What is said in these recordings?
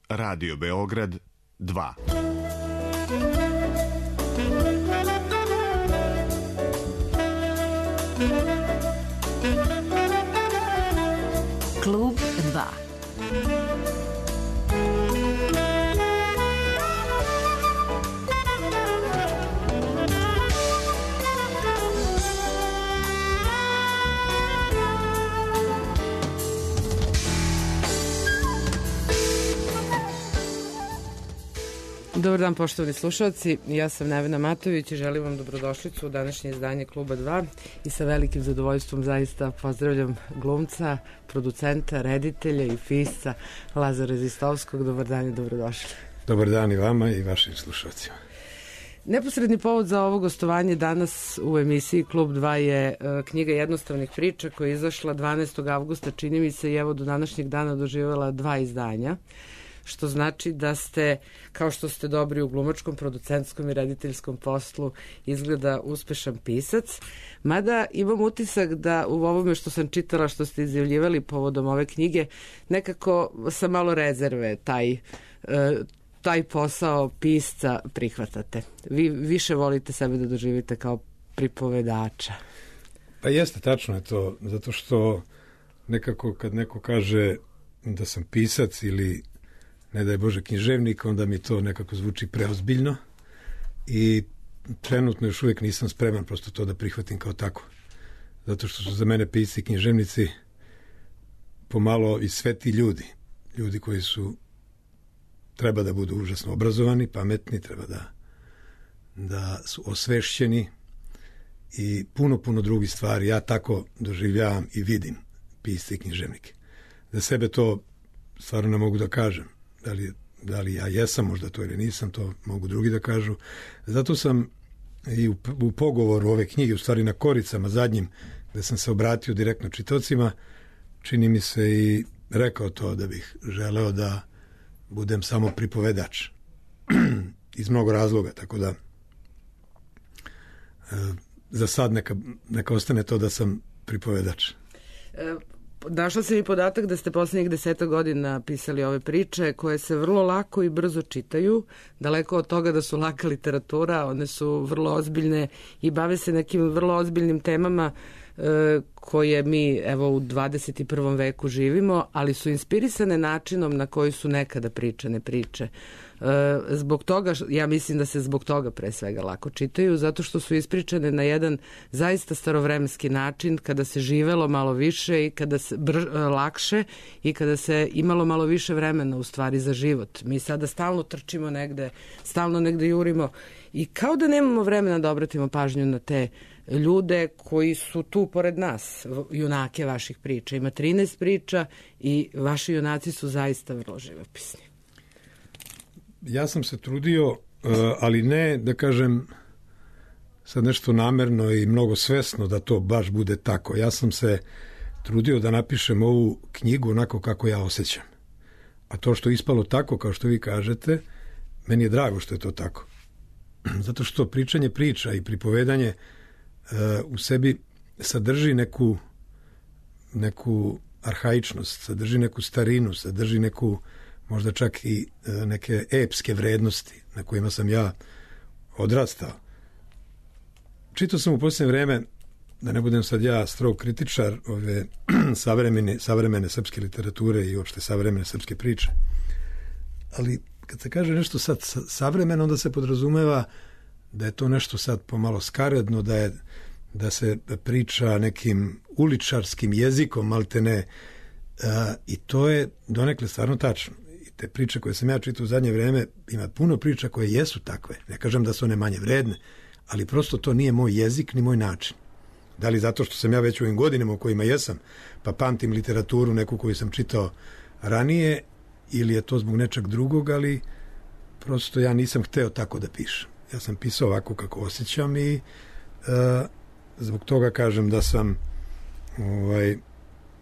Radio Beograd 2. Klub 2. Dobar dan, poštovani slušalci, ja sam Nevena Matović i želim vam dobrodošlicu u današnje izdanje Kluba 2 i sa velikim zadovoljstvom zaista pozdravljam glumca, producenta, reditelja i pisca Lazara Zistovskog. Dobar dan i dobrodošli. Dobar dan i vama i vašim slušalcima. Neposredni povod za ovo gostovanje danas u emisiji Klub 2 je knjiga jednostavnih priča koja je izašla 12. avgusta, čini mi se, i evo do današnjeg dana doživjela 2 izdanja. Što znači da ste, kao što ste dobri u glumačkom, producentskom i rediteljskom poslu, izgleda uspešan pisac. Mada imam utisak da u ovome što sam čitala, što ste izjavljivali povodom ove knjige, nekako sa malo rezerve taj posao pisca prihvatate. Vi više volite sebe da doživite kao pripovedača. Pa jeste, tačno je to, zato što nekako kad neko kaže da sam pisac ili ne daj Bože književnik, onda mi to nekako zvuči preozbiljno i trenutno još uvijek nisam spreman prosto to da prihvatim kao tako. Zato što su za mene pisci i književnici pomalo i sveti ljudi. Ljudi koji treba da budu užasno obrazovani, pametni, treba da su osvešćeni i puno drugih stvari. Ja tako doživljavam i vidim pisce i književnike. Za sebe to stvarno ne mogu da kažem. Da li ja jesam možda to ili nisam, to mogu drugi da kažu. Zato sam i u pogovoru ove knjige, u stvari na koricama zadnjim, gde sam se obratio direktno čitaocima, čini mi se i rekao to da bih želeo da budem samo pripovedač. Iz mnogo razloga, tako da za sad neka ostane to da sam pripovedač. Našla sam i podatak da ste poslednjih 10 godina pisali ove priče koje se vrlo lako i brzo čitaju, daleko od toga da su laka literatura, one su vrlo ozbiljne i bave se nekim vrlo ozbiljnim temama koje mi evo u 21. veku živimo, ali su inspirisane načinom na koji su nekada pričane priče. Zbog toga, ja mislim da se zbog toga pre svega lako čitaju, zato što su ispričane na jedan zaista starovremenski način, kada se živelo malo više i kada se lakše i kada se imalo malo više vremena u stvari za život. Mi sada stalno trčimo negde, stalno negde jurimo i kao da nemamo vremena da obratimo pažnju na te ljude koji su tu pored nas, junake vaših priča. Ima 13 priča i vaši junaci su zaista vrlo živopisni. Ja sam se trudio, ali ne da kažem sad nešto namerno i mnogo svesno da to baš bude tako. Ja sam se trudio da napišem ovu knjigu onako kako ja osjećam. A to što je ispalo tako, kao što vi kažete, meni je drago što je to tako. Zato što pričanje priča i pripovedanje u sebi sadrži neku arhaičnost, sadrži neku starinu, sadrži neku možda čak i neke epske vrednosti na kojima sam ja odrastao. Čitao sam u posljednje vreme, da ne budem sad ja strog kritičar ove savremene srpske literature i uopšte savremene srpske priče, ali kad se kaže nešto sad savremeno, onda se podrazumeva da je to nešto sad pomalo skaredno, da se priča nekim uličarskim jezikom, maltene, i to je donekle stvarno tačno. I te priče koje sam ja čitao u zadnje vreme, ima puno priča koje jesu takve. Ne kažem da su one manje vredne, ali prosto to nije moj jezik ni moj način. Da li zato što sam ja već u ovim godinama u kojima jesam, pa pamtim literaturu neku koju sam čitao ranije, ili je to zbog nečeg drugog, ali prosto ja nisam hteo tako da pišem. Ja sam pisao ovako kako osjećam i zbog toga kažem da sam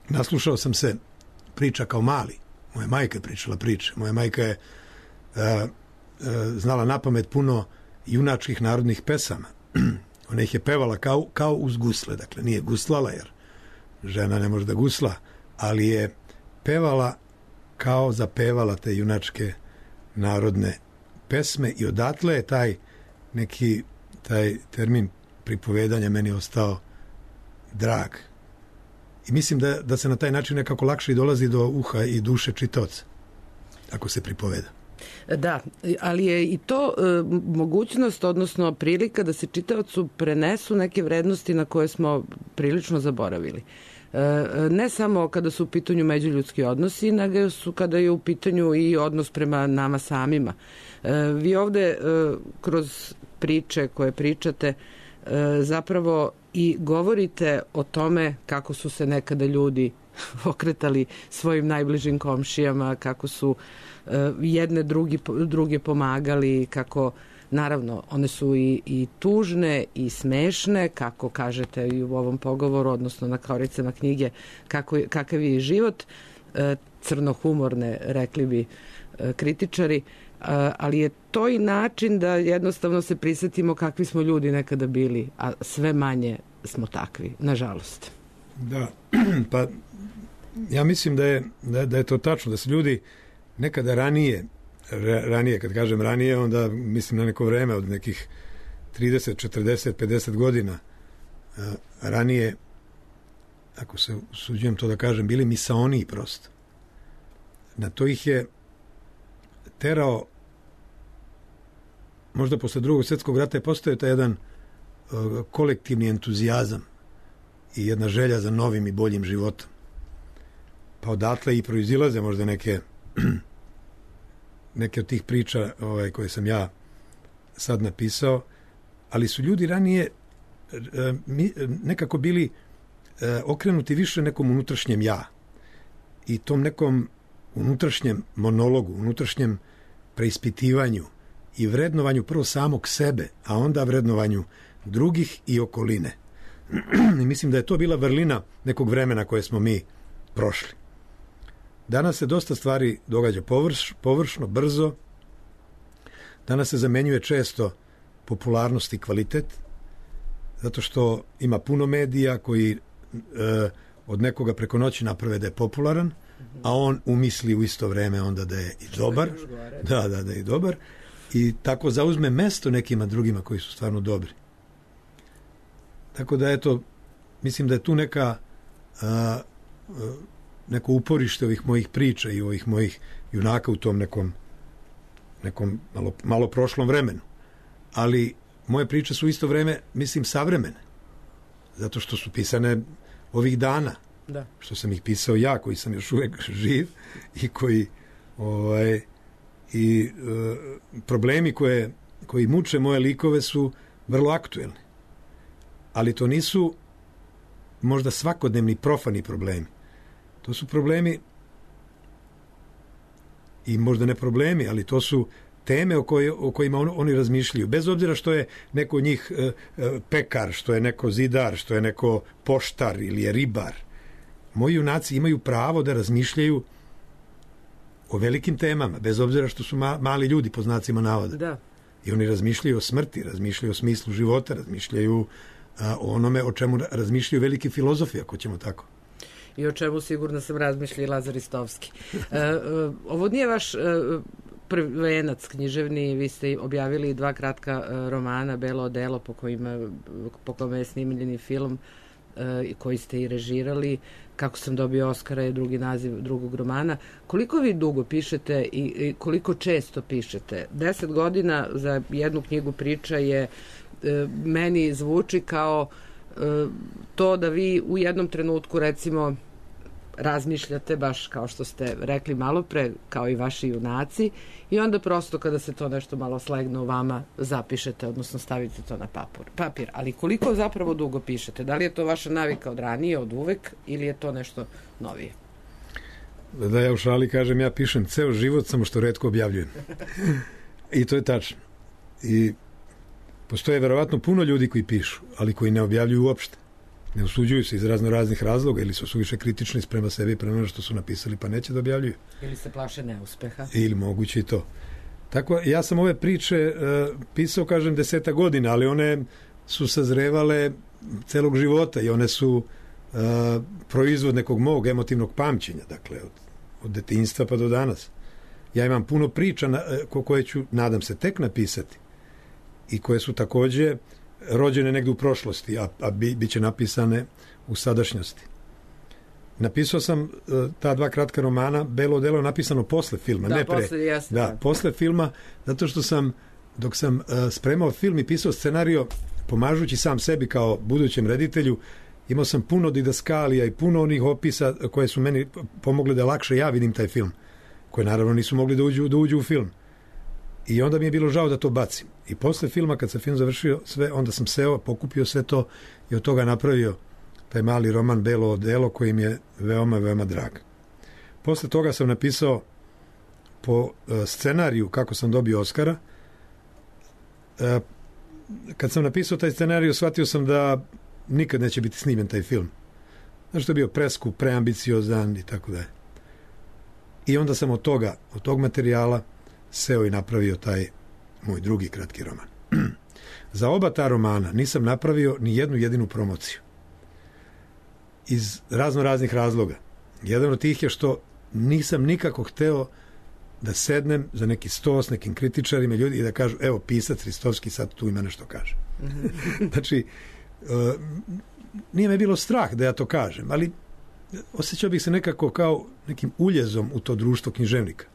naslušao sam se priča kao mali. Moja majka je pričala priče. Moja majka je znala napamet puno junačkih narodnih pesama. Ona ih je pevala kao uz gusle. Dakle, nije guslala jer žena ne može da gusla, ali je pevala kao zapevala te junačke narodne pesme i odatle je taj termin pripovedanja meni ostao drag. I mislim da se na taj način nekako lakše i dolazi do uha i duše čitaoca, ako se pripoveda. Da, ali je i to mogućnost, odnosno prilika da se čitaocu prenesu neke vrednosti na koje smo prilično zaboravili. Ne samo kada su u pitanju međuljudski odnosi, nego su kada je u pitanju i odnos prema nama samima. Vi ovde kroz priče koje pričate zapravo i govorite o tome kako su se nekada ljudi okretali svojim najbližim komšijama, kako su jedne druge pomagali, kako naravno one su i tužne i smešne, kako kažete i u ovom pogovoru, odnosno na koricama knjige, kakav je život, crnohumorne, rekli bi kritičari, ali je to i način da jednostavno se prisetimo kakvi smo ljudi nekada bili, a sve manje smo takvi, nažalost. Da, pa ja mislim da je to tačno, da se ljudi nekada ranije, kad kažem ranije, onda mislim na neko vreme od nekih 30, 40, 50 godina ranije, ako se usuđujem to da kažem, bili misaoniji prosto. Na to ih je terao, možda posle Drugog svjetskog rata je postojao taj jedan kolektivni entuzijazam i jedna želja za novim i boljim životom. Pa odatle i proizilaze možda neke od tih priča koje sam ja sad napisao, ali su ljudi ranije nekako bili okrenuti više nekom unutrašnjem ja i tom nekom unutrašnjem monologu, unutrašnjem preispitivanju i vrednovanju prvo samog sebe, a onda vrednovanju drugih i okoline. I mislim da je to bila vrlina nekog vremena koje smo mi prošli. Danas se dosta stvari događa površno, brzo. Danas se zamenjuje često popularnost i kvalitet, zato što ima puno medija koji od nekoga preko noći naprave da je popularan, a on umisli u isto vreme onda da je i dobar. Da je i dobar. I tako zauzme mesto nekima drugima koji su stvarno dobri. Tako da eto, mislim da je tu neko uporište ovih mojih priča i ovih mojih junaka u tom nekom malo prošlom vremenu. Ali moje priče su isto vreme, mislim, savremene. Zato što su pisane ovih dana. Da. Što sam ih pisao ja, koji sam još uvek živ i koji problemi koji muče moje likove su vrlo aktuelni. Ali to nisu možda svakodnevni profani problemi. To su problemi i možda ne problemi, ali to su teme o kojima oni razmišljaju. Bez obzira što je neko od njih pekar, što je neko zidar, što je neko poštar ili je ribar. Moji junaci imaju pravo da razmišljaju o velikim temama, bez obzira što su mali ljudi, po znacima navoda. Da. I oni razmišljaju o smrti, razmišljaju o smislu života, razmišljaju o onome o čemu razmišljaju veliki filozofi, ako ćemo tako. I o čemu sigurno sam razmišlja i Lazar Istovski. Ovo nije vaš prvenac književni, vi ste objavili 2 kratka romana, Belo odelo, po kome je snimljeni film koji ste i režirali, Kako sam dobio Oskara je drugi naziv drugog romana. Koliko vi dugo pišete i koliko često pišete? 10 godina za jednu knjigu priča je meni zvuči kao to da vi u jednom trenutku recimo razmišljate baš kao što ste rekli malo pre, kao i vaši junaci, i onda prosto kada se to nešto malo slegne u vama zapišete, odnosno stavite to na papir. Ali koliko zapravo dugo pišete? Da li je to vaša navika od ranije, od uvek, ili je to nešto novije? Da ja u šali kažem, ja pišem ceo život, samo što retko objavljujem. I to je tačno. I postoje verovatno puno ljudi koji pišu, ali koji ne objavljuju uopšte. Ne usuđuju se iz raznih razloga, ili su suviše kritični prema sebi i prema ono što su napisali, pa neće da objavljuju. Ili se plaše neuspeha. Ili moguće i to. Tako, ja sam ove priče pisao, kažem, 10 godina, ali one su sazrevale celog života i one su proizvod nekog mog emotivnog pamćenja, dakle, od detinjstva pa do danas. Ja imam puno priča koje ću, nadam se, tek napisati i koje su takođe rođene negde u prošlosti, a bit će napisane u sadašnjosti. Napisao sam ta 2 kratka romana, Belo odelo je napisano posle filma, da, ne pre. Posle, jasno, da, posle filma, zato što sam, dok sam spremao film i pisao scenario, pomažući sam sebi kao budućem reditelju, imao sam puno didaskalija i puno onih opisa koje su meni pomogle da lakše ja vidim taj film, koje naravno nisu mogli da uđu u film. I onda mi je bilo žao da to bacim. I posle filma, kad sam film završio sve, onda sam seo, pokupio sve to i od toga napravio taj mali roman Belo odelo koji mi je veoma, veoma drag. Posle toga sam napisao po scenariju kako sam dobio Oskara. Kad sam napisao taj scenariju, shvatio sam da nikad neće biti snimljen taj film. Znači, to je bio preskup, preambiciozan i tako da je. I onda sam od tog materijala seo i napravio taj moj drugi kratki roman. Za oba ta romana nisam napravio ni jednu jedinu promociju. Iz raznih razloga. Jedan od tih je što nisam nikako hteo da sednem za neki sto s nekim kritičarima ljudi i da kažu, evo, pisac Ristovski sad tu ima nešto kaže. Znači, nije me bilo strah da ja to kažem, ali osjećao bih se nekako kao nekim uljezom u to društvo književnika.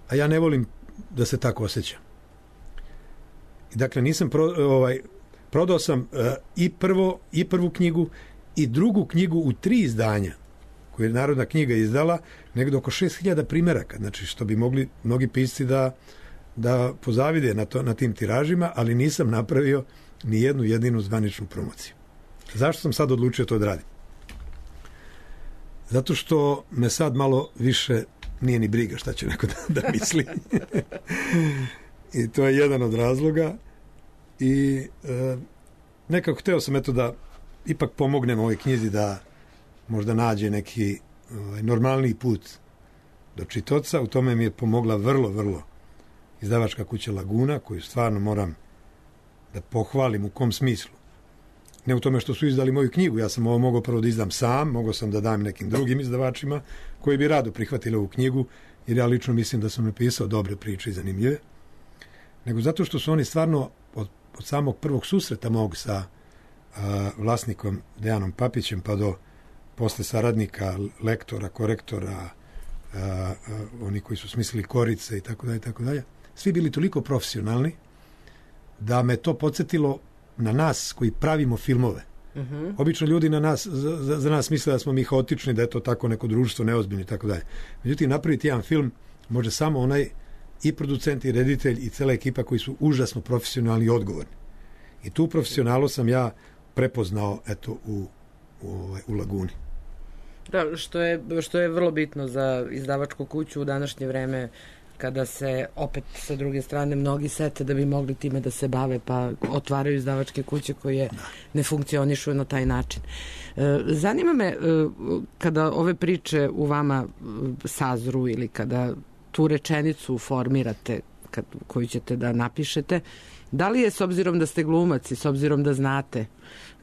A ja ne volim da se tako osjećam. I dakle, nisam prodao sam i prvu knjigu i drugu knjigu u 3 izdanja koju je Narodna knjiga izdala, negdje oko 6000 primeraka, znači što bi mogli mnogi pisci da pozavide na tim tiražima, ali nisam napravio ni jednu jedinu zvaničnu promociju. Zašto sam sad odlučio to da radim? Zato što me sad malo više nije ni briga šta će neko da misli. I to je jedan od razloga. I nekako hteo sam da ipak pomognem ovoj knjizi da možda nađe neki normalniji put do čitaoca. U tome mi je pomogla vrlo izdavačka kuća Laguna, koju stvarno moram da pohvalim. U kom smislu? Ne u tome što su izdali moju knjigu, ja sam ovo mogao prvo da izdam sam, mogao sam da dam nekim drugim izdavačima koji bi rado prihvatili ovu knjigu, jer ja lično mislim da sam napisao dobre priče i zanimljive, nego zato što su oni stvarno od samog prvog susreta mog sa vlasnikom Dejanom Papićem pa do posle saradnika, lektora, korektora, oni koji su smislili korice i tako dalje, svi bili toliko profesionalni da me to podsjetilo na nas koji pravimo filmove. Obično ljudi za nas misle da smo mi haotični, da je to tako neko društvo neozbiljno i tako dalje. Međutim, napraviti jedan film može samo onaj i producent i reditelj i cela ekipa koji su užasno profesionalni i odgovorni. I tu profesionalu sam ja prepoznao u Laguni. Da, što je vrlo bitno za izdavačku kuću u današnje vreme, kada se opet sa druge strane mnogi sete da bi mogli time da se bave, pa otvaraju izdavačke kuće koje ne funkcionišu na taj način. Zanima me, kada ove priče u vama sazru ili kada tu rečenicu formirate koju ćete da napišete, da li je, s obzirom da ste glumac i s obzirom da znate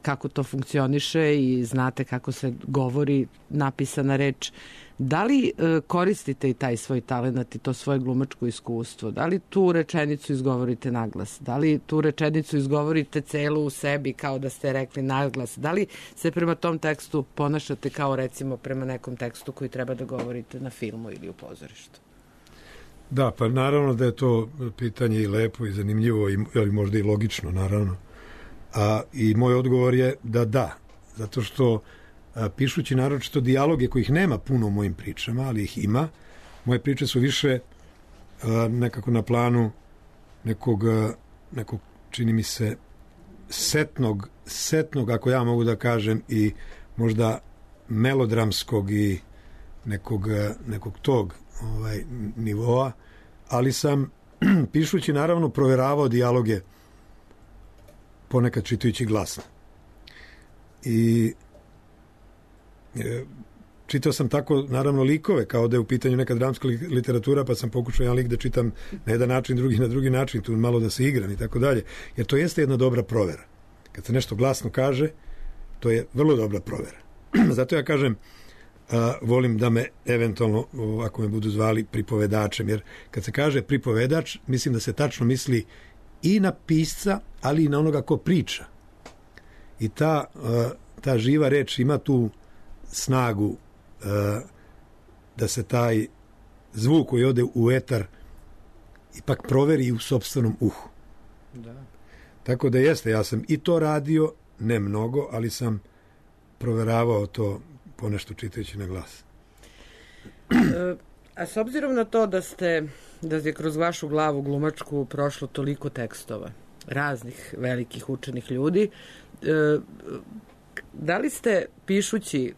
kako to funkcioniše i znate kako se govori napisana reč, da li koristite i taj svoj talenat i to svoje glumačko iskustvo? Da li tu rečenicu izgovorite naglas? Da li tu rečenicu izgovorite celu u sebi kao da ste rekli naglas? Da li se prema tom tekstu ponašate kao recimo prema nekom tekstu koji treba da govorite na filmu ili u pozorištu? Da, pa naravno da je to pitanje i lepo i zanimljivo i možda i logično, naravno. I moj odgovor je da. Zato što pišući naročito dijaloge kojih nema puno u mojim pričama, ali ih ima, moje priče su više nekako na planu nekog čini mi se setnog, ako ja mogu da kažem, i možda melodramskog i nekog tog nivoa, ali sam pišući naravno proveravao dijaloge ponekad čitajući glasno. I čitao sam tako naravno likove, kao da je u pitanju neka dramska literatura, pa sam pokušao jedan lik da čitam na jedan način, drugi na drugi način, tu malo da se igram i tako dalje, jer to jeste jedna dobra provera. Kad se nešto glasno kaže, to je vrlo dobra provera. Zato ja kažem, volim da me eventualno, ako me budu zvali, pripovedačem, jer kad se kaže pripovedač, mislim da se tačno misli i na pisca, ali i na onoga ko priča. I ta živa reč ima tu snagu da se taj zvuk koji ode u etar ipak proveri u sopstvenom uhu. Da. Tako da jeste, ja sam i to radio, ne mnogo, ali sam proveravao to ponešto čitajući na glas. A s obzirom na to da je kroz vašu glavu glumačku prošlo toliko tekstova, raznih velikih učenih ljudi, da li ste pišući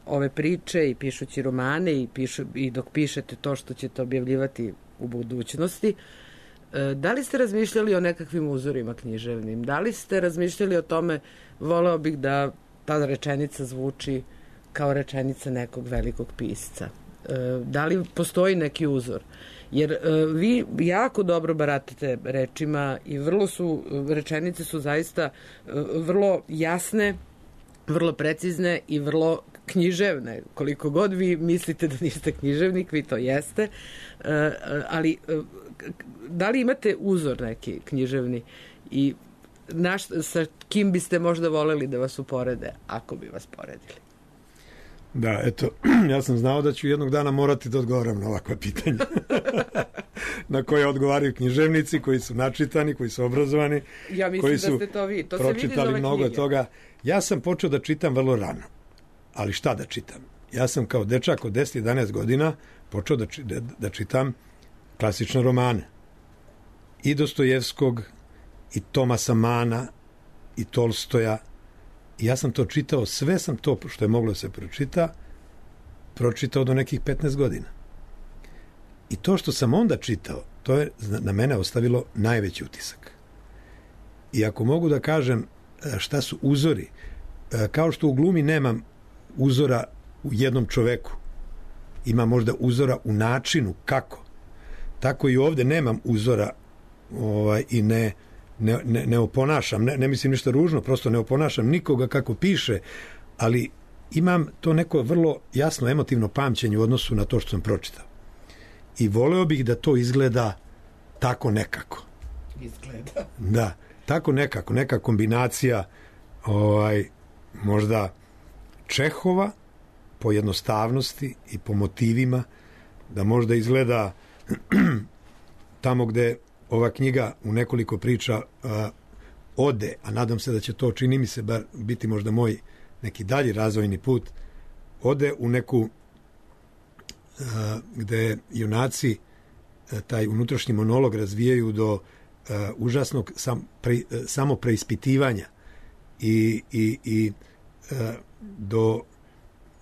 ove priče i pišući romane i dok pišete to što ćete objavljivati u budućnosti, da li ste razmišljali o nekakvim uzorima književnim? Da li ste razmišljali o tome, voleo bih da ta rečenica zvuči kao rečenica nekog velikog pisca? Da li postoji neki uzor? Jer vi jako dobro baratate rečima i rečenice su zaista vrlo jasne, vrlo precizne i vrlo književne. Koliko god vi mislite da niste književnik, vi to jeste. Ali da li imate uzor neki književni i sa kim biste možda voleli da vas uporede, ako bi vas poredili? Da, eto, ja sam znao da ću jednog dana morati da odgovaram na ovakva pitanja. Na koje odgovaraju književnici, koji su načitani, koji su obrazovani, ja mislim koji su da ste to vi. To pročitali mnogo toga. Ja sam počeo da čitam vrlo rano. Ali šta da čitam? Ja sam kao dečak od 10-11 godina počeo da čitam klasične romane. I Dostojevskog, i Tomasa Mana, i Tolstoja. I ja sam to čitao, sve sam to što je moglo da se pročitao do nekih 15 godina. I to što sam onda čitao, to je na mene ostavilo najveći utisak. I ako mogu da kažem šta su uzori, kao što u glumi nemam uzora u jednom čoveku, ima možda uzora u načinu kako, tako i ovde nemam uzora i ne oponašam, ne mislim ništa ružno, prosto ne oponašam nikoga kako piše, ali imam to neko vrlo jasno emotivno pamćenje u odnosu na to što sam pročitao. I voleo bih da to izgleda tako nekako. Izgleda. Da, tako nekako, neka kombinacija možda Čehova po jednostavnosti i po motivima, da možda izgleda tamo gde ova knjiga u nekoliko priča ode, a nadam se da će to, čini mi se, bar biti možda moj neki dalji razvojni put, ode u neku gde junaci taj unutrašnji monolog razvijaju do užasnog samopreispitivanja i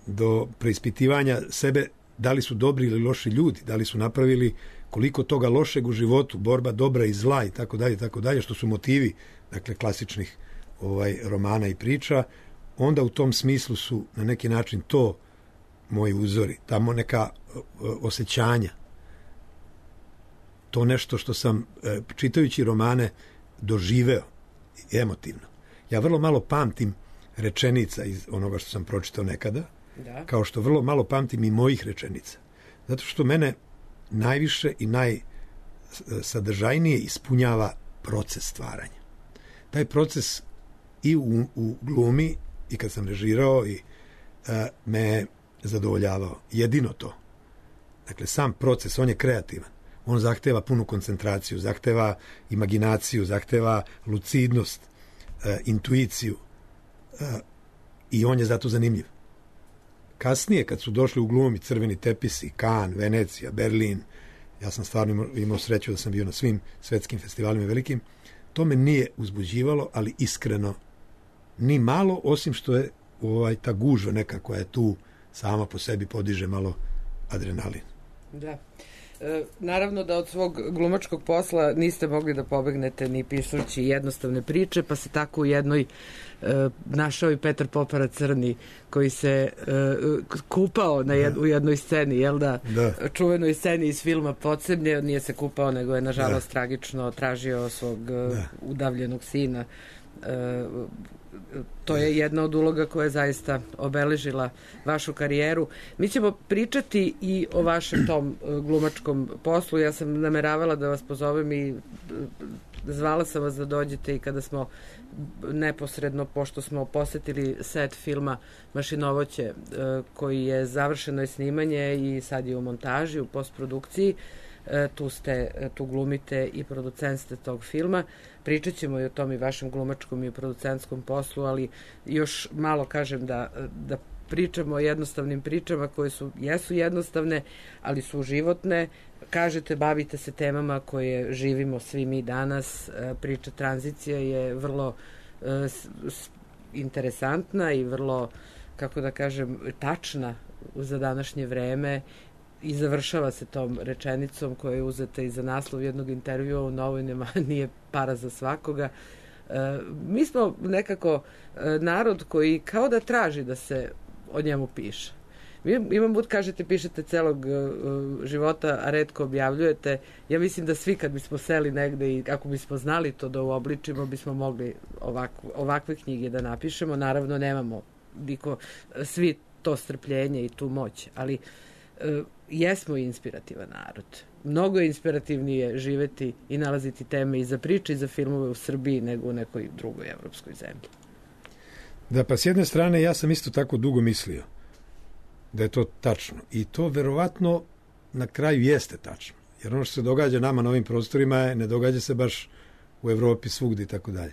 do preispitivanja sebe, da li su dobri ili loši ljudi, da li su napravili koliko toga lošeg u životu, borba dobra i zla i tako dalje, što su motivi, dakle, klasičnih romana i priča. Onda u tom smislu su na neki način to moji uzori, tamo neka osjećanja, to nešto što sam čitajući romane doživeo emotivno. Ja vrlo malo pamtim rečenica iz onoga što sam pročitao nekada, kao što vrlo malo pamtim i mojih rečenica. Zato što mene najviše i najsadržajnije ispunjava proces stvaranja. Taj proces i u glumi i kad sam režirao i me zadovoljavao. Jedino to. Dakle, sam proces, on je kreativan. On zahteva punu koncentraciju, zahteva imaginaciju, zahteva lucidnost, intuiciju i on je zato zanimljiv. Kasnije, kad su došli u glumi crveni tepisi, Cannes, Venecija, Berlin, ja sam stvarno imao sreću da sam bio na svim svetskim festivalima velikim, to me nije uzbuđivalo, ali iskreno ni malo, osim što je ta gužva neka koja je tu sama po sebi podiže malo adrenalin. Da. Naravno da od svog glumačkog posla niste mogli da pobegnete ni pišući jednostavne priče, pa se tako u jednoj našao i Petar Popara Crni, koji se kupao u jednoj sceni, jel da? Čuvenoj sceni iz filma Podzemlje, nije se kupao, nego je nažalost tragično tražio svog udavljenog sina To je jedna od uloga koja je zaista obeležila vašu karijeru. Mi ćemo pričati i o vašem tom glumačkom poslu. Ja sam nameravala da vas pozovem i zvala sam vas da dođete i kada smo neposredno, pošto smo posetili set filma Mašinovoće, koji je završeno je snimanje i sad je u montaži, u postprodukciji. Tu glumite i producent ste tog filma. Pričat ćemo i o tom i vašem glumačkom i producentskom poslu, ali još malo kažem da pričamo o jednostavnim pričama koje jesu jednostavne, ali su životne. Kažete, bavite se temama koje živimo svi mi danas. Priča tranzicija je vrlo interesantna i vrlo, kako da kažem, tačna za današnje vreme i završava se tom rečenicom koja je uzeta i za naslov jednog intervjua u novinama, nije para za svakoga. Mi smo nekako narod koji kao da traži da se o njemu piše. Imam put, kažete, pišete celog života, a retko objavljujete. Ja mislim da svi kad bismo seli negde i ako bismo znali to da uobličimo, bismo mogli ovakve knjige da napišemo. Naravno, nemamo svi to strpljenje i tu moć, ali jesmo inspirativan narod. Mnogo je inspirativnije živeti i nalaziti teme i za priče i za filmove u Srbiji nego u nekoj drugoj evropskoj zemlji. Da, pa s jedne strane ja sam isto tako dugo mislio da je to tačno. I to verovatno na kraju jeste tačno. Jer ono što se događa nama na ovim prostorima ne događa se baš u Evropi svugde i tako dalje.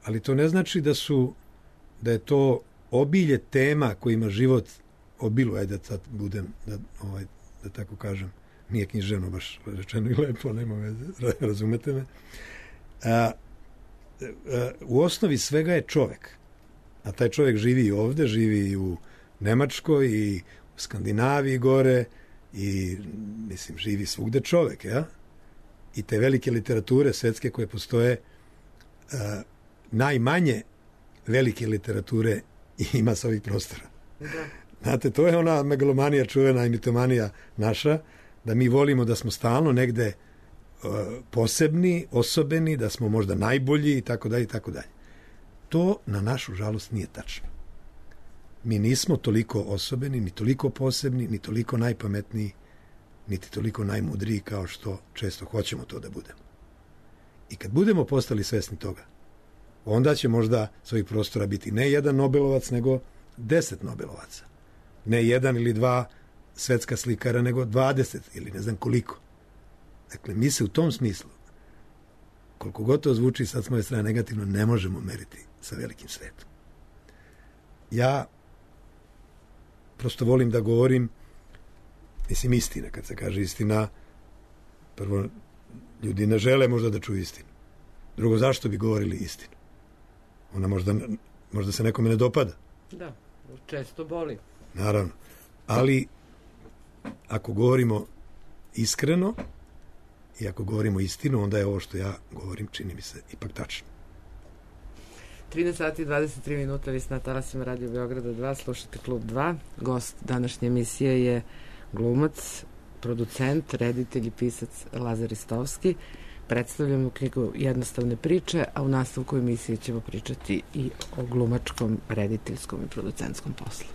Ali to ne znači da je to obilje tema kojima život obiluje, da sad budem, da tako kažem, nije književno baš rečeno i lepo, nema veze, razumete me. U osnovi svega je čovek. A taj čovek živi i ovde, živi i u Nemačkoj i u Skandinaviji gore i, mislim, živi svugde čovek, ja? I te velike literature svetske koje postoje, najmanje velike literature ima sa ovih prostora. Da. Znate, to je ona megalomanija čuvena i mitomanija naša, da mi volimo da smo stalno negde posebni, osobeni, da smo možda najbolji i tako dalje i tako dalje. To na našu žalost nije tačno. Mi nismo toliko osobeni, ni toliko posebni, ni toliko najpametniji, niti toliko najmudriji kao što često hoćemo to da budemo. I kad budemo postali svesni toga, onda će možda s ovih prostora biti ne jedan Nobelovac, nego 10 Nobelovaca. Ne jedan ili dva svetska slikara, nego 20 ili ne znam koliko. Dakle, mi se u tom smislu, koliko god to zvuči sad s moje strane negativno, ne možemo meriti sa velikim svetom. Ja prosto volim da govorim, mislim, istina. Kad se kaže istina, prvo, ljudi ne žele možda da čuju istinu. Drugo, zašto bi govorili istinu? Ona možda se nekome ne dopada. Da, često boli. Naravno. Ali ako govorimo iskreno i ako govorimo istinu, onda je ovo što ja govorim, čini mi se, ipak tačno. 13 sati i 23 minuta, vi ste na talasima Radio Beograda 2, slušate Klub 2. Gost današnje emisije je glumac, producent, reditelj i pisac Lazar Ristovski. Predstavljamo knjigu Jednostavne priče, a u nastavku emisije ćemo pričati i o glumačkom, rediteljskom i producentskom poslu.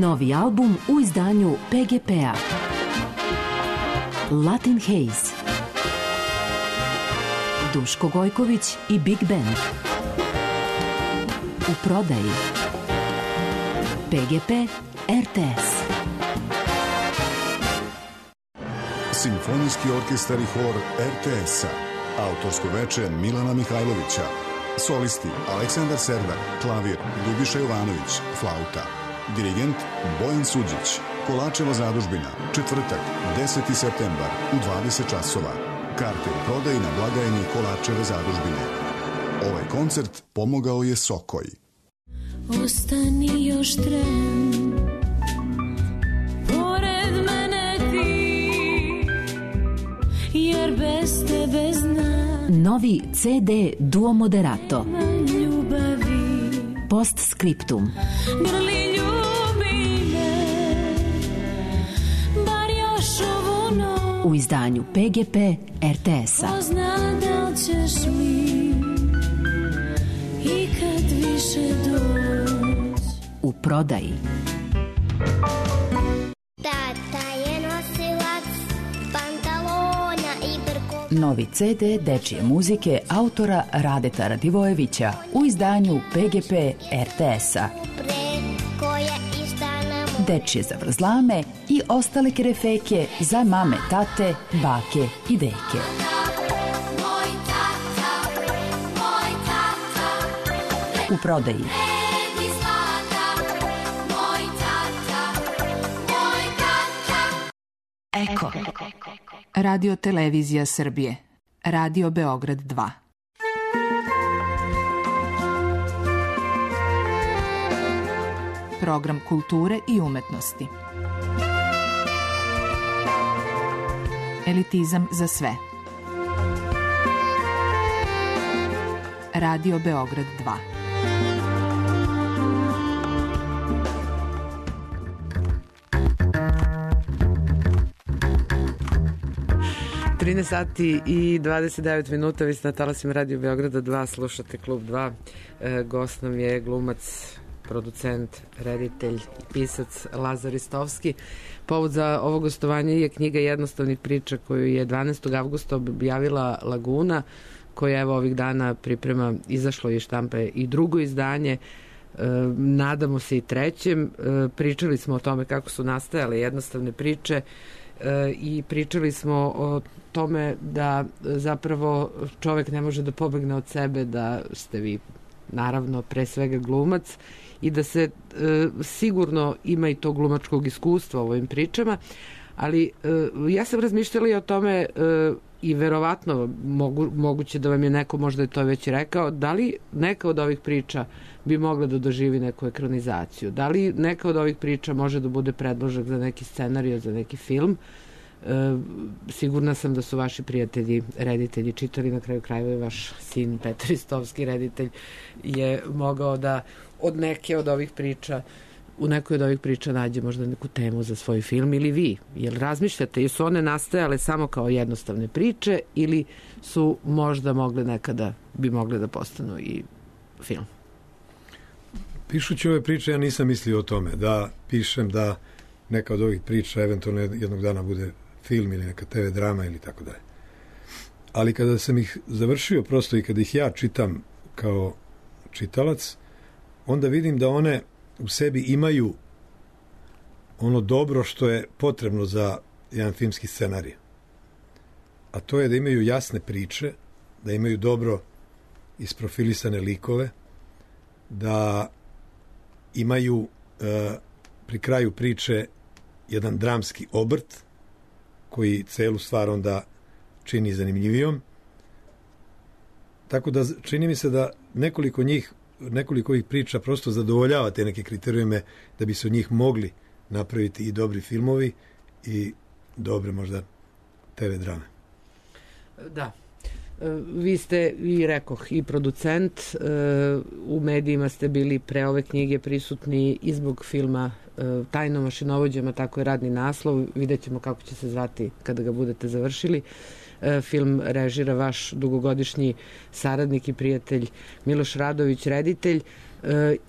Novi album u izdanju PGP-a. Latin Haze. Duško Gojković i Big Band. U prodaji. PGP RTS. Simfonijski orkestar i hor RTS-a. Autorsko veče Milana Mihajlovića. Solisti Aleksandar Serdar, klavir Ljubiša Jovanović, flauta. Dirigent Bojan Suđić. Kolačeva zadužbina, četvrtak, 10. septembar u 20 časova. Karte u prodaji na blagajni Kolačeve zadužbine. Ovaj koncert pomogao je Sokoj. Ostani još tren, pored mene ti, jer bez tebe znam. Novi CD Duo Moderato. Ljubavi. Postscriptum. Grli ljubi me, bar još ovu noć. U izdanju PGP RTS-a. Ko zna da li ćeš mi ikad više doć. U prodaji. Tata je nosilac pantalona i brko. Novi CD dečije muzike autora Radeta Radivojevića u izdanju PGP RTS-a. Preko je istana moj. Dečije zavrzlame i ostale kerefeke za mame, tate, bake i deke. Moj tata, U prodaji. neki zlata, moj tata. Eko. Radio Televizija Srbije. Radio Beograd 2. Program kulture i umetnosti. Elitizam za sve. Radio Beograd 2. 13 sati i 29 minuta, vi ste na talasima Radio Beograda 2, slušate Klub 2. Gost nam je glumac, producent, reditelj i pisac Lazar Ristovski. Povod za ovo gostovanje je knjiga Jednostavnih priča koju je 12. avgusta objavila Laguna, koja evo ovih dana priprema, izašlo je štampe i drugo izdanje, nadamo se i trećem. Pričali smo o tome kako su nastajale jednostavne priče i pričali smo o tome da zapravo čovek ne može da pobegne od sebe, da ste vi naravno pre svega glumac i da se sigurno ima i to glumačkog iskustva u ovim pričama, ali ja sam razmišljala i o tome i verovatno moguće da vam je neko možda je to već rekao, da li neka od ovih priča bi mogla da doživi neku ekranizaciju, da li neka od ovih priča može da bude predložak za neki scenarij, za neki film. Sigurna sam da su vaši prijatelji reditelji čitali, na kraju krajeva je vaš sin Petar Ristovski reditelj je mogao da od neke od ovih priča, u nekoj od ovih priča nađe možda neku temu za svoj film, ili vi, jel razmišljate, jesu one nastajale samo kao jednostavne priče ili su možda mogle nekada, bi mogle da postanu i film? Pišući ove priče ja nisam mislio o tome da pišem da neka od ovih priča eventualno jednog dana bude film ili neka TV drama ili tako dalje. Ali kada sam ih završio prosto i kada ih ja čitam kao čitalac, onda vidim da one u sebi imaju ono dobro što je potrebno za jedan filmski scenarij. A to je da imaju jasne priče, da imaju dobro isprofilisane likove, da imaju pri kraju priče jedan dramski obrt koji celu stvar onda čini zanimljivijom. Tako da čini mi se da nekoliko ovih priča prosto zadovoljava te neke kriterijume da bi se od njih mogli napraviti i dobri filmovi i dobre možda TV drame. Da. Vi ste, i rekoh, i producent, u medijima ste bili pre ove knjige prisutni i zbog filma Tajno mašinovođama, tako je radni naslov, vidjet ćemo kako će se zvati kada ga budete završili. Film režira vaš dugogodišnji saradnik i prijatelj Miloš Radović, reditelj.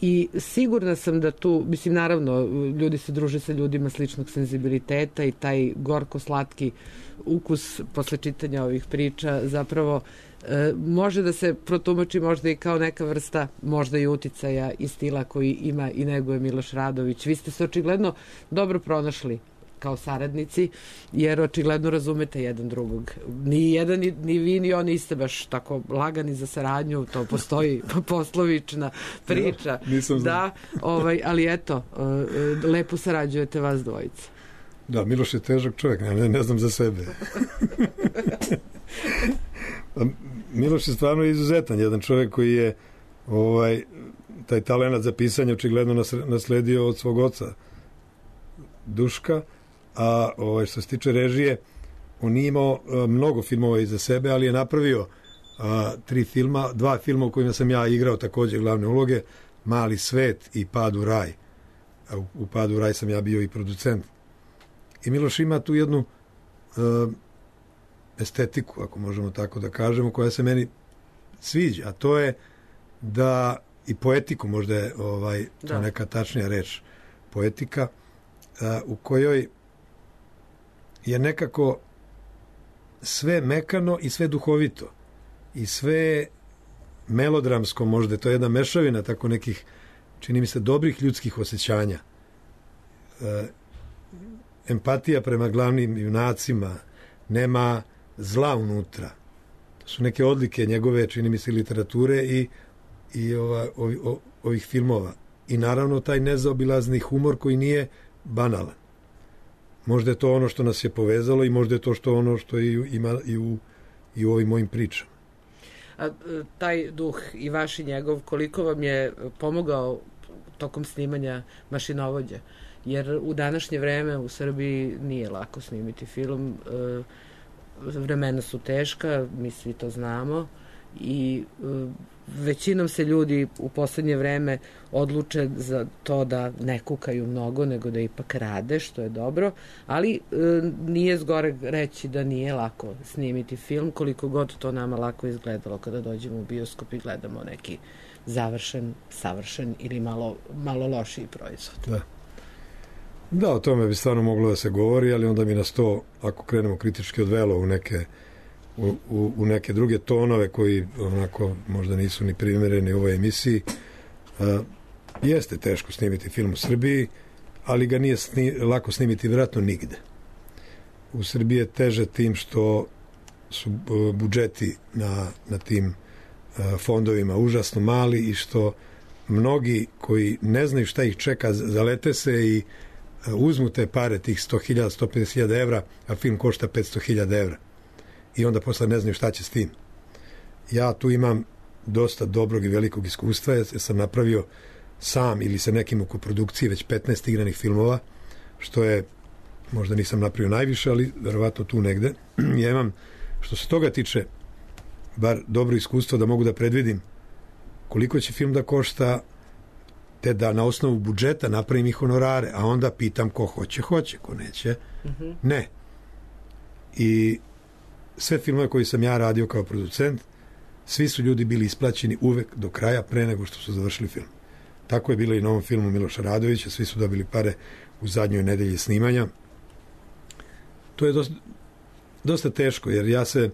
I sigurna sam da tu, mislim, naravno, ljudi se druže sa ljudima sličnog senzibiliteta i taj gorko-slatki ukus posle čitanja ovih priča zapravo može da se protumači možda i kao neka vrsta možda i uticaja i stila koji ima i neguje Miloš Radović. Vi ste se očigledno dobro pronašli kao saradnici, jer očigledno razumete jedan drugog. Ni jedan, ni vi, ni on niste baš tako lagani za saradnju, to postoji poslovična priča. Da, ali eto, lepo sarađujete vas dvojica. Da, Miloš je težak čovjek, ne znam za sebe. Miloš je stvarno izuzetan, jedan čovjek koji je taj talenat za pisanje očigledno nasledio od svog oca Duška, a što se tiče režije, on nije imao mnogo filmova iza sebe, ali je napravio 2 filma u kojima sam ja igrao također glavne uloge, Mali svet i Pad u raj. U Pad u raj sam ja bio i producent. I Miloš ima tu jednu estetiku, ako možemo tako da kažemo, koja se meni sviđa, a to je da i poetiku, možda je to neka tačnija reč, poetika, u kojoj je nekako sve mekano i sve duhovito i sve melodramsko, možda to je jedna mešavina tako nekih, čini mi se, dobrih ljudskih osjećanja, empatija prema glavnim junacima, nema zla unutra. To su neke odlike njegove, čini mi se, literature i ovih filmova. I naravno taj nezaobilazni humor koji nije banalan. Možda je to ono što nas je povezalo i možda je to ono što ima i u ovim mojim pričama. A taj duh i vaš i njegov, koliko vam je pomogao tokom snimanja Mašinovođe? Jer u današnje vreme u Srbiji nije lako snimiti film. Vremena su teška, mi svi to znamo i većinom se ljudi u poslednje vreme odluče za to da ne kukaju mnogo, nego da ipak rade, što je dobro, ali nije zgoreg reći da nije lako snimiti film, koliko god to nama lako izgledalo kada dođemo u bioskop i gledamo neki završen, savršen ili malo lošiji proizvod. Da, o tome bi stvarno moglo da se govori, ali onda mi nas to, ako krenemo kritički, odvelo u neke druge tonove koji onako možda nisu ni primjereni u ovoj emisiji. Jeste teško snimiti film u Srbiji, ali ga nije lako snimiti vjerojatno nigde. U Srbiji je teže tim što su budžeti na tim fondovima užasno mali i što mnogi koji ne znaju šta ih čeka zalete se i uzmu te pare, tih 100.000, 150.000 evra, a film košta 500.000 evra. I onda posle ne znaju šta će s tim. Ja tu imam dosta dobrog i velikog iskustva, jer sam napravio sam ili sa nekim u koprodukciji već 15 igranih filmova, što je, možda nisam napravio najviše, ali verovatno tu negde. Ja imam, što se toga tiče, bar dobro iskustvo da mogu da predvidim koliko će film da košta, te da na osnovu budžeta napravim i honorare, a onda pitam ko hoće, ko neće, ne. I sve filmove koji sam ja radio kao producent, svi su ljudi bili isplaćeni uvek do kraja pre nego što su završili film. Tako je bilo i na ovom filmu Miloša Radovića, svi su dobili pare u zadnjoj nedelji snimanja. To je dosta teško, jer ja se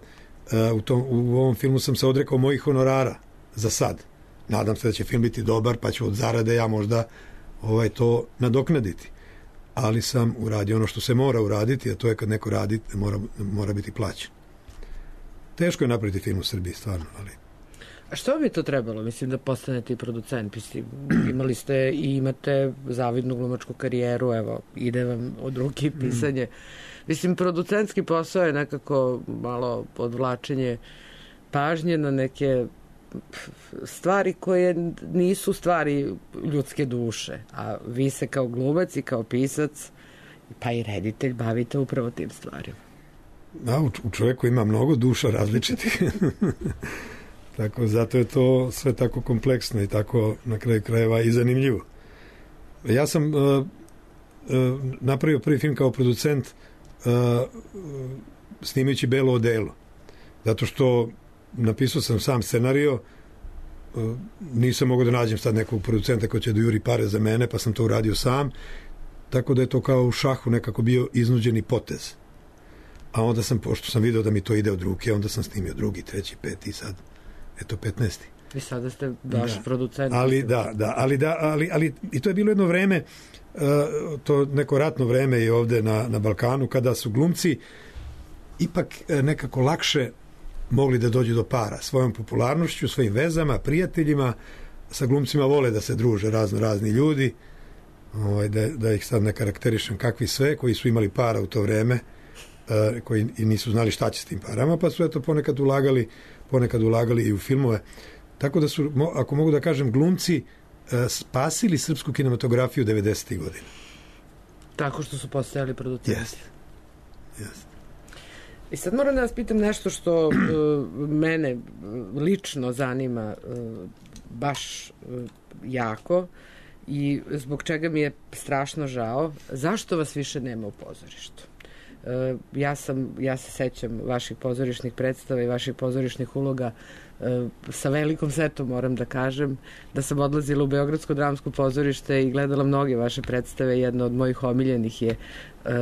u ovom filmu sam se odrekao mojih honorara za sad. Nadam se da će film biti dobar, pa ću od zarade ja možda to nadoknaditi. Ali sam uradio ono što se mora uraditi, a to je kad neko radi, mora biti plaćen. Teško je napraviti film u Srbiji, stvarno, ali... A što bi to trebalo, mislim, da postanete i producent? Imali ste i imate zavidnu glumačku karijeru, evo, ide vam od ruke pisanje. Mislim, producentski posao je nekako malo odvlačenje pažnje na neke stvari koje nisu stvari ljudske duše, a vi se kao glumac i kao pisac pa i reditelj bavite upravo tim stvarima. Da, u čovjeku ima mnogo duša različitih. Tako, zato je to sve tako kompleksno i tako na kraju krajeva i zanimljivo. Ja sam napravio prvi film kao producent snimajući Belo odelo. Zato što napisao sam sam scenario nisam mogao da nađem sad nekog producenta koji će da juri pare za mene, pa sam to uradio sam, tako da je to kao u šahu nekako bio iznuđeni potez. A onda sam, pošto sam video da mi to ide od ruke, onda sam snimio drugi, treći, peti i sad, eto 15. I sada ste baš producent. Ali i to je bilo jedno vreme, to neko ratno vreme i ovde na Balkanu, kada su glumci ipak nekako lakše mogli da dođu do para svojom popularnošću, svojim vezama, prijateljima. Sa glumcima vole da se druže razni ljudi, da ih sad ne karakterišem kakvi sve, koji su imali para u to vreme, koji i nisu znali šta će s tim parama, pa su eto ponekad ulagali i u filmove. Tako da su, ako mogu da kažem, glumci spasili srpsku kinematografiju 90. godina. Tako što su postojali producenti. Jeste. I sad moram da vas pitam nešto što mene lično zanima baš jako i zbog čega mi je strašno žao. Zašto vas više nema u pozorištu? Ja se sećam vaših pozorišnih predstava i vaših pozorišnih uloga sa velikom setom, moram da kažem, da sam odlazila u Beogradsko dramsko pozorište i gledala mnoge vaše predstave. Jedna od mojih omiljenih je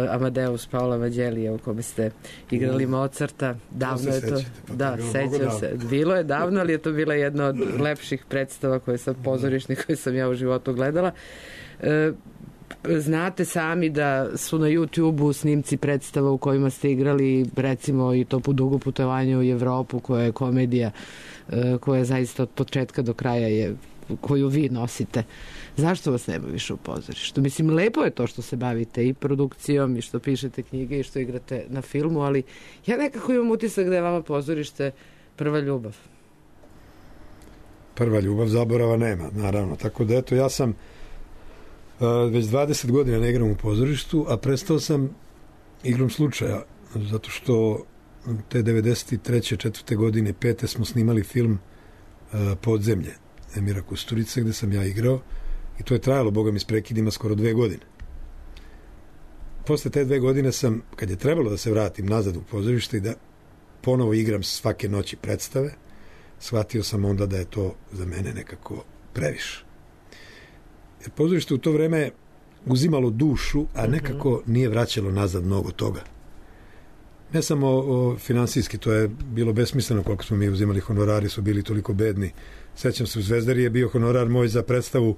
Amadeus Paola Vanđelija, u kome ste igrali Mozarta. Davno je to. Da, sećam se. Bilo je davno, ali je to bila jedna od lepših predstava pozorišnih koje sam ja u životu gledala. Znate sami da su na YouTube-u snimci predstava u kojima ste igrali, recimo i to po dugo putovanje u Evropu, koja je komedija, koja zaista od početka do kraja je, koju vi nosite. Zašto vas nema više u pozorištu? Mislim, lepo je to što se bavite i produkcijom i što pišete knjige i što igrate na filmu, ali ja nekako imam utisak da je vama pozorište prva ljubav. Prva ljubav, zaborava nema, naravno. Tako da eto, ja sam već 20 godina ne igram u pozorištu, a prestao sam igrom slučaja, zato što te 93. 4. godine, 5. smo snimali film Podzemlje Emira Kusturice, gde sam ja igrao, i to je trajalo, boga mi, s prekidima skoro 2 godine. Posle te 2 godine sam, kad je trebalo da se vratim nazad u pozorište i da ponovo igram svake noći predstave, shvatio sam onda da je to za mene nekako previše. Jer pozorište u to vreme uzimalo dušu, a nekako nije vraćalo nazad mnogo toga. Ne samo finansijski, to je bilo besmisleno koliko smo mi uzimali, honorari su bili toliko bedni. Sećam se, u Zvezdari je bio honorar moj za predstavu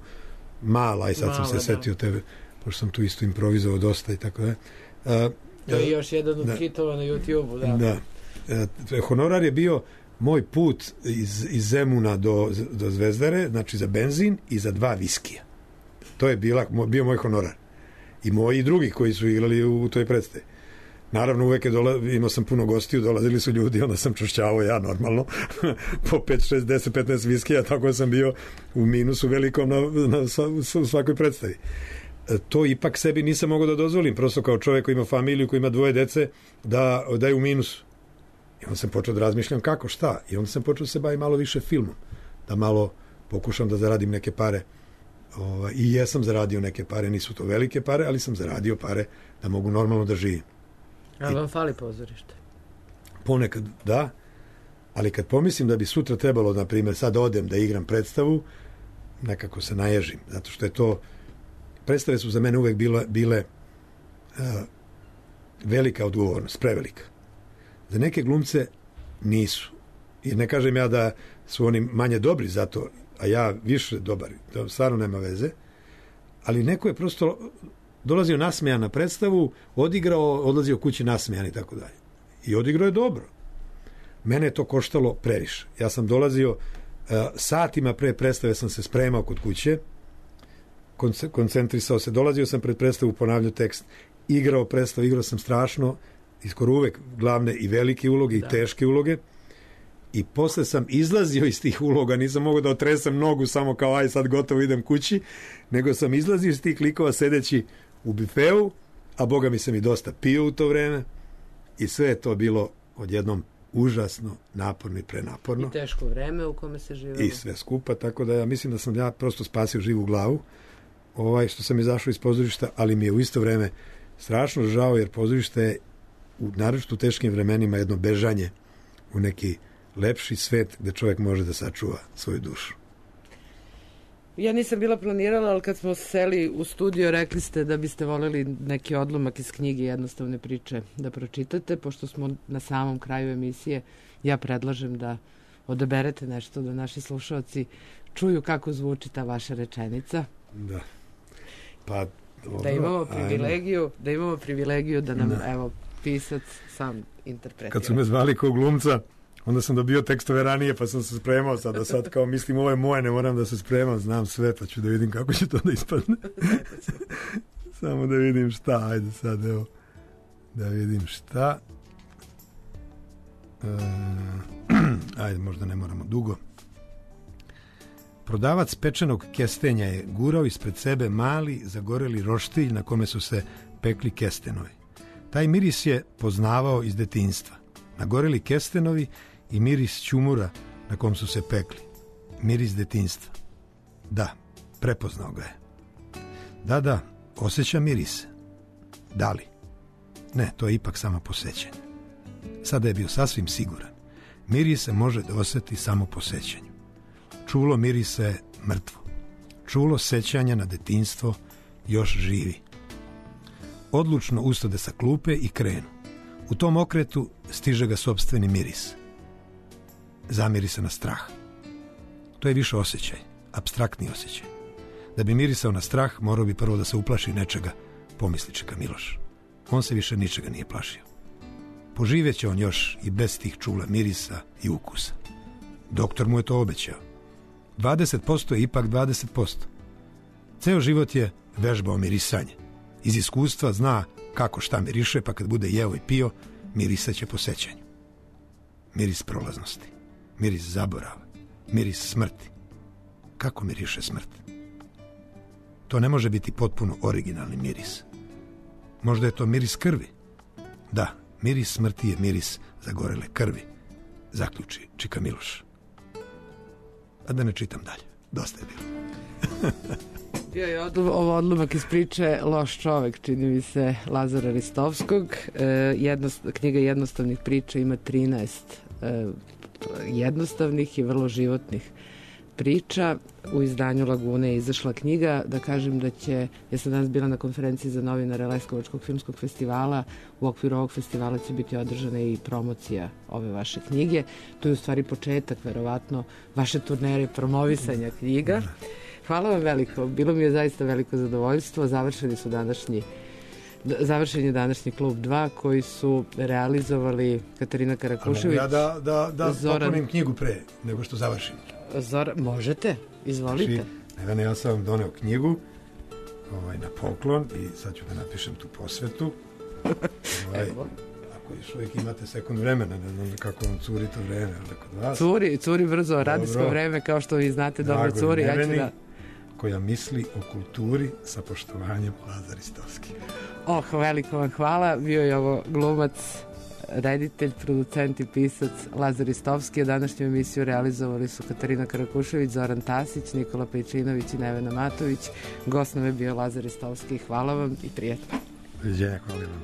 mala, i sad sam se setio tebe, pošto sam tu isto improvizovao dosta i tako da. To je još jedan od hitova na YouTube-u, da. Honorar je bio moj put iz Zemuna do Zvezdare, znači za benzin i za 2 viskija. To je bio moj honorar. I moji i drugi koji su igrali u toj predstavi. Naravno, uvek imao sam puno gostiju, dolazili su ljudi, onda sam čušćavao ja normalno po 5, 6, 10, 15 viskija, tako da sam bio u minusu velikom na svakoj predstavi. To ipak sebi nisam mogao da dozvolim, prosto kao čovjek koji ima familiju, koji ima 2 dece, da je u minusu. I onda sam počeo da razmišljam kako, šta. I onda sam počeo da se bavim malo više filmom, da malo pokušam da zaradim neke pare. I jesam zaradio neke pare, nisu to velike pare, ali sam zaradio pare da mogu normalno da živim. Ali vam fali pozorište? Ponekad da, ali kad pomislim da bi sutra trebalo, na primjer, sad odem da igram predstavu, nekako se naježim, zato što je to, predstave su za mene uvek bile velika odgovornost, prevelika. Za neke glumce nisu. I ne kažem ja da su oni manje dobri za to, a ja više dobar, to stvarno nema veze, ali neko je prosto dolazio nasmejan na predstavu, odigrao, odlazio kući nasmejan i tako dalje. I odigrao je dobro. Mene je to koštalo previše. Ja sam dolazio satima pre predstave, sam se spremao kod kuće, koncentrisao se, dolazio sam pred predstavu, ponavljao tekst, igrao predstavu, igrao sam strašno, skoro uvek glavne i velike uloge i teške uloge, i posle sam izlazio iz tih uloga, nisam mogao da otresem nogu samo kao aj sad gotovo idem kući, nego sam izlazio iz tih likova sedeći u bifeu, a boga mi sam i dosta pio u to vreme, i sve je to bilo odjednom užasno naporno i prenaporno. I teško vreme u kome se živelo. I sve skupa, tako da ja mislim da sam ja prosto spasio živu glavu što sam izašao iz pozorišta, ali mi je u isto vreme strašno žao, jer pozorište je naročito u teškim vremenima jedno bežanje u neki lepši svet gde čovjek može da sačuva svoju dušu. Ja nisam bila planirala, ali kad smo seli u studio, rekli ste da biste voljeli neki odlomak iz knjige Jednostavne priče da pročitate, pošto smo na samom kraju emisije. Ja predlažem da odaberete nešto da naši slušalci čuju kako zvuči ta vaša rečenica. Da. Pa, dobro, da imamo privilegiju da nam, evo, pisac sam interpretira. Kad su me zvali kao glumca, onda sam dobio tekstove ranije, pa sam se spremao sad kao mislim ovo je moje, ne moram da se spremam, znam sve, pa ću da vidim kako će to da ispadne. Samo da vidim šta, ajde sad, evo, da vidim šta. Ajde, možda ne moramo dugo. Prodavac pečenog kestenja je gurao ispred sebe mali, zagoreli roštilj na kome su se pekli kestenovi. Taj miris je poznavao iz detinjstva. Nagoreli kestenovi i miris ćumura na kom su se pekli. Miris detinjstva. Da, prepoznao ga je. Da, osjeća mirise. Da li? Ne, to je ipak samo posećanje. Sada je bio sasvim siguran. Miris se može da osjeti samo po sećanju. Čulo mirisa je mrtvo. Čulo sećanja na detinjstvo još živi. Odlučno ustade sa klupe i krenu. U tom okretu stiže ga sopstveni miris. Zamiri se na strah. To je više osjećaj, apstraktni osjećaj. Da bi mirisao na strah, morao bi prvo da se uplaši nečega, pomisli čeka Miloš. On se više ničega nije plašio. Poživjeće on još i bez tih čula mirisa i ukusa. Doktor mu je to obećao. 20% je ipak 20%. Ceo život je vežbao mirisanje. Iz iskustva zna kako šta miriše, pa kad bude jeo i pio, mirisaće po sećanju. Miris prolaznosti, miris zaborava, miris smrti. Kako miriše smrt? To ne može biti potpuno originalni miris. Možda je to miris krvi. Da, miris smrti je miris zagorele krvi, zaključi čika Miloš. A da ne čitam dalje, dosta je bilo. Bio je ovo odlomak iz priče Loš čovek, čini mi se, Lazara Ristovskog. Knjiga jednostavnih priča ima 13 jednostavnih i vrlo životnih priča. U izdanju Lagune je izašla knjiga. Da kažem da ja sam danas bila na konferenciji za novinare Leskovačkog filmskog festivala. U okviru ovog festivala će biti održana i promocija ove vaše knjige. To je u stvari početak, verovatno, vaše turnere promovisanja knjiga. Hvala vam veliko. Bilo mi je zaista veliko zadovoljstvo. Završen je današnji klub 2 koji su realizovali Katarina Karakušević. Ja da poklonim knjigu pre nego što završim. Možete, izvolite. Nevene, ja sam vam doneo knjigu na poklon i sad ću da napišem tu posvetu. Ako još uvijek imate sekund vremena, ne znam kako vam curi to vreme, ali kod vas. Curi brzo, radijsko vreme, kao što vi znate, dobro curi. Neveni, koja misli o kulturi sa poštovanjem Lazar Ristovski. Veliko vam hvala. Bio je ovo glumac, reditelj, producent i pisac Lazar Ristovski. A današnju emisiju realizovali su Katarina Karakušević, Zoran Tasić, Nikola Pejčinović i Nevena Matović. Gost nam je bio Lazar Ristovski. Hvala vam i prijatno. Doviđenja, hvala vam.